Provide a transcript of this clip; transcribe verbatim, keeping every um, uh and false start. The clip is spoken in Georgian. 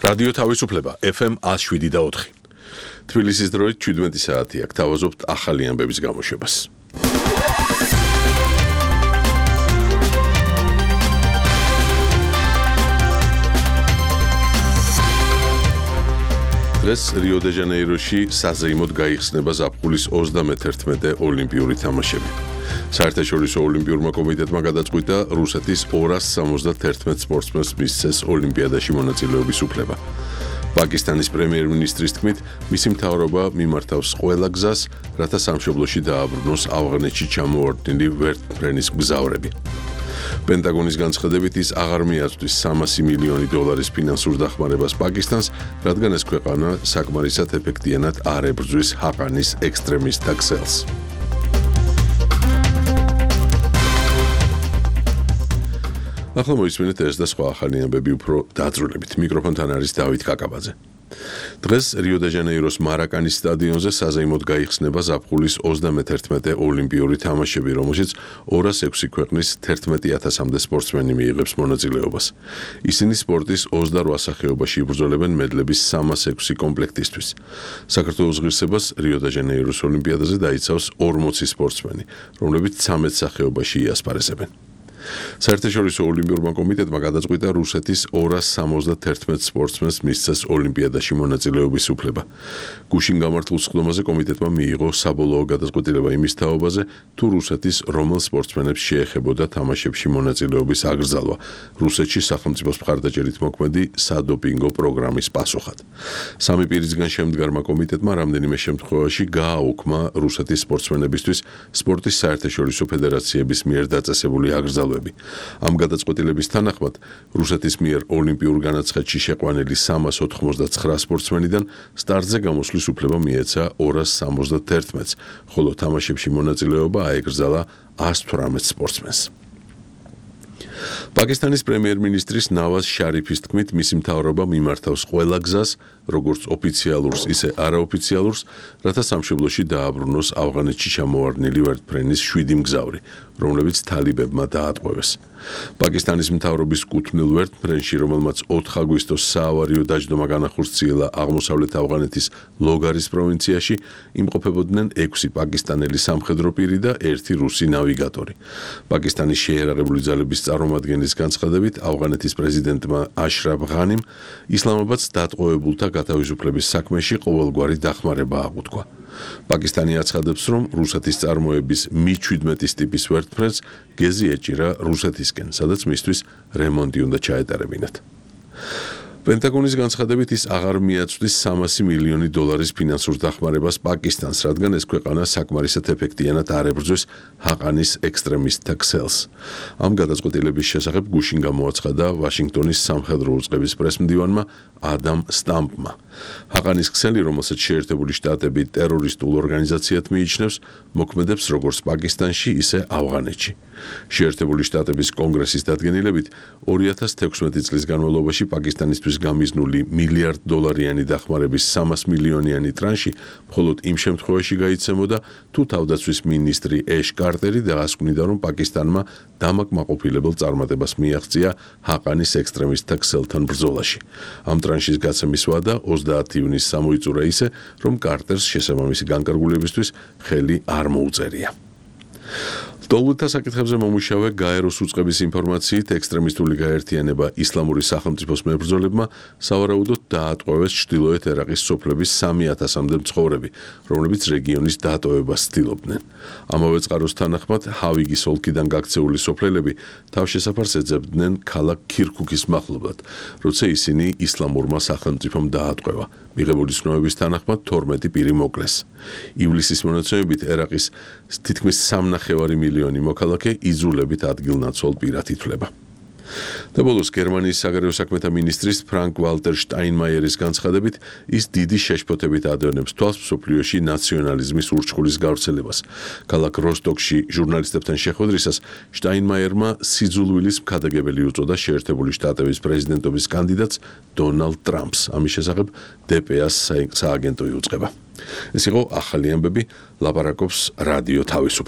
რადიო თავისუფლება F M one oh seven და four. თბილისის დროით შვიდმეტი საათი აქ თავაზობთ ახალი ამბების გამოშვებას. დღეს რიო-დე-ჟანეიროში საზეიმოდ გაიხსნება ზაფხულის ოცდამეთერთმეტე ოლიმპიური თამაშები. საერთაშორისო ოლიმპიურმა კომიტეტმა გადაწყვიტა რუსეთის ორას სამოცდათერთმეტ სპორტსმენს მისცეს ოლიმპიადაში მონაწილეობის უფლება. პაკისტანის პრემიერ-მინისტრის თქმით, მისი მთავრობა მიმართავს ყველა გზას, რათა სამშობლოში დააბრუნოს ავღანეთში ჩამოვარდნილი ვერტმფრენის მგზავრები. პენტაგონის განცხადებით ის აღარ მიაწვდის სამასი მილიონი დოლარის ფინანსურ დახმარებას პაკისტანს, რადგან ეს ქვეყანა საკმარისად ეფექტიანად არ ებრძვის ჰაყანის ექსტრემისტთა ქსელს. ახლა მოისმინეთ ეს და სხვა ახალი ამბები უფრო დაწვრილებით. მიკროფონთან არის დავით კაკაბაძე. დღეს რიო-დე-ჟანეიროს მარაკანის სტადიონზე საზეიმოდ გაიხსნება ზაფხულის ოცდამეთერთმეტე ოლიმპიური თამაშები, რომელშიც ორას ექვსი ქვეყნის თერთმეტი ათასამდე სპორტსმენი მიიღებს მონაწილეობას. ისინი სპორტის ოცდარვა სახეობაში იბრძოლებენ მედლების სამას ექვსი კომპლექტისთვის. საქართველოს ღირსებას რიო-დე-ჟანეიროს ოლიმპიადაზე დაიცავს ორმოცი სპორტსმენი, რომლებიც ცამეტ სახეობაში იასპარეზებენ. საერთაშორისო ოლიმპიურმა კომიტეტმა გადაწყვიტა რუსეთის ორას სამოცდათერთმეტ სპორტსმენს მისცეს ოლიმპიადაში მონაწილეობის უფლება. გუშინ გამართულ სხდომაზე კომიტეტმა მიიღო საბოლოო გადაწყვეტილება იმის თაობაზე, თუ რუსეთის რომელ სპორტსმენებს შეეხებოდა თამაშებში მონაწილეობის აკრძალვა, რუსეთში სახელმწიფოს მხარდაჭერით მოქმედი სადოპინგო პროგრამის პასუხად. სამი პირისგან შემდგარმა კომიტეტმა რამდენიმე შემთხვევაში გააუქმა რუსეთის სპორტსმენებისთვის სპორტის საერთაშორისო ფედერაციების მიერ დაწესებული აკრძალვა. ამ გადაწყვეტილების თანახმად რუსეთის მიერ ოლიმპიურ განაცხადში შეყვანილი სამას ოთხმოცდაცხრა სპორტსმენიდან სტარტზე გამოსვლის უფლება მიეცა ორას სამოცდათერთმეტს, ხოლო თამაშებში მონაწილეობა აეკრძალა ას თვრამეტ სპორტსმენს. პაკისტანის პრემიერ-მინისტრის ნავაზ შარიფის თქმით, მისი მთავრობა მიმართავს ყველა გზას, როგორც ოფიციალურს, ისე არაოფიციალურს, რათა სამშობლოში დააბრუნოს ავღანეთში ჩამოვარდნილი ვერტმფრენის შვიდი მგზავრი, რომლებიც თალიბებმა დაატყვევეს. პაკისტანის მთავრობის კუთვნილ ვერტმფრენში, რომელმაც ოთხ აგვისტოს საავარიო დაჯდომა განახორციელა აღმოსავლეთ ავღანეთის ლოგარის პროვინციაში, იმყოფებოდნენ ექვსი პაკისტანელი სამხედრო პირი და ერთი რუსი ნავიგატორი. პაკისტანის შეიარაღებული ძალების წარმომადგენლის განცხადებით, ავღანეთის პრეზიდენტმა აშრაფ ღანიმ ისლამაბადს დატყვევებულთა გათავისუფლების საქმეში ყოველგვარი დახმარება აღუთქვა. პაკისტანი აცხადებს, რომ რუსეთის წარმოების მი შვიდმეტის ტიპის ვერტმფრენს გეზი ეჭირა რუსეთისკენ, სადაც მისთვის რემონტი უნდა ჩაეტარებინათ. პენტაგონის განცხადებით ის აღარ მიაწვდის სამასი მილიონი დოლარის ფინანსურ დახმარებას პაკისტანს, რადგან ეს ქვეყანა საკმარისად ეფექტიანად არ ებრძვის ჰაყანის ექსტრემისტთა ქსელს. ამ გადაწყვეტილების შესახებ გუშინ გამოაცხადა ვაშინგტონის სამხედრო უწყების პრესმდივანმა ადამ სტამპმა. ჰაყანის ქსელი, რომელსაც შეერთებული შტატები ტერორისტულ ორგანიზაციად მიიჩნევს, მოქმედებს როგორც პაკისტანში, ისე ავღანეთში. შეერთებული შტატების კონგრესის დადგენილებით ორი ათას თექვსმეტი წლის განმავლობაში პაკისტანისთვის გამიზნული მილიარდ დოლარიანი დახმარების სამას მილიონიანი ტრანში მხოლოდ იმ შემთხვევაში გაიცემოდა, თუ თავდაცვის მინისტრი ეშ კარტერი დაასკვნიდა, რომ პაკისტანმა დამაკმაყოფილებელ წარმატებას მიაღწია ჰაყანის ექსტრემისტთა ქსელთან ბრძოლაში. ამ ტრანშის გაცემის ვადა ოცდაათი ივნისს გამოიწურა ისე, რომ კარტერს შესაბამისი განკარგულებისთვის ხელი არ მოუწერია. დოლუთა საკითხებზე მომუშავე გაეროს უწყების ინფორმაციით, ექსტრემისტული გაერთიანება ისლამური სახელმწიფოს მებრძოლებმა სავარაუდოდ დაატყვევეს ჩრდილოეთ ერაყის სოფლების სამი ათასამდე მცხოვრები, რომლებიც რეგიონის დატოვებას ცდილობდნენ. ამავე წყაროს თანახმად, ჰავიგის ოლქიდან გაქცეული სოფლელები თავშესაფარს ეძებდნენ ქალაქ ქირქუქის მახლობლად, როცა ისინი ისლამურმა სახელმწიფომ დაატყვევა. მიღებული ცნობების თანახმად თორმეტი პირი მოკლეს. ივლისის მონაცემებით ერაყის თითქმის სამნახევარი მილიონი მოქალაქე იძულებით ადგილნაცვალ პირად ითვლება. და ბოლოს გერმანიის საგარეო საქმეთა მინისტრის ფრანკ ვალტერ შტაინმაიერის განცხადებით, ის დიდი შეშფოთებით ადევნებს თვალს მსოფლიოში ნაციონალიზმის ურჩხულის გავრცელებას. ქალაქ როსტოკში ჟურნალისტებთან შეხვედრისას შტაინმაიერმა სიძულვილის მქადაგებელი უწოდა შეერთებული შტატების პრეზიდენტობის კანდიდატს დონალდ ტრამპს. ამის შესახებ დე პე ას სააგენტო იუწყება. ეს იყო ახალი ამბები, ლაპარაკობს რადიო თავისუფლება.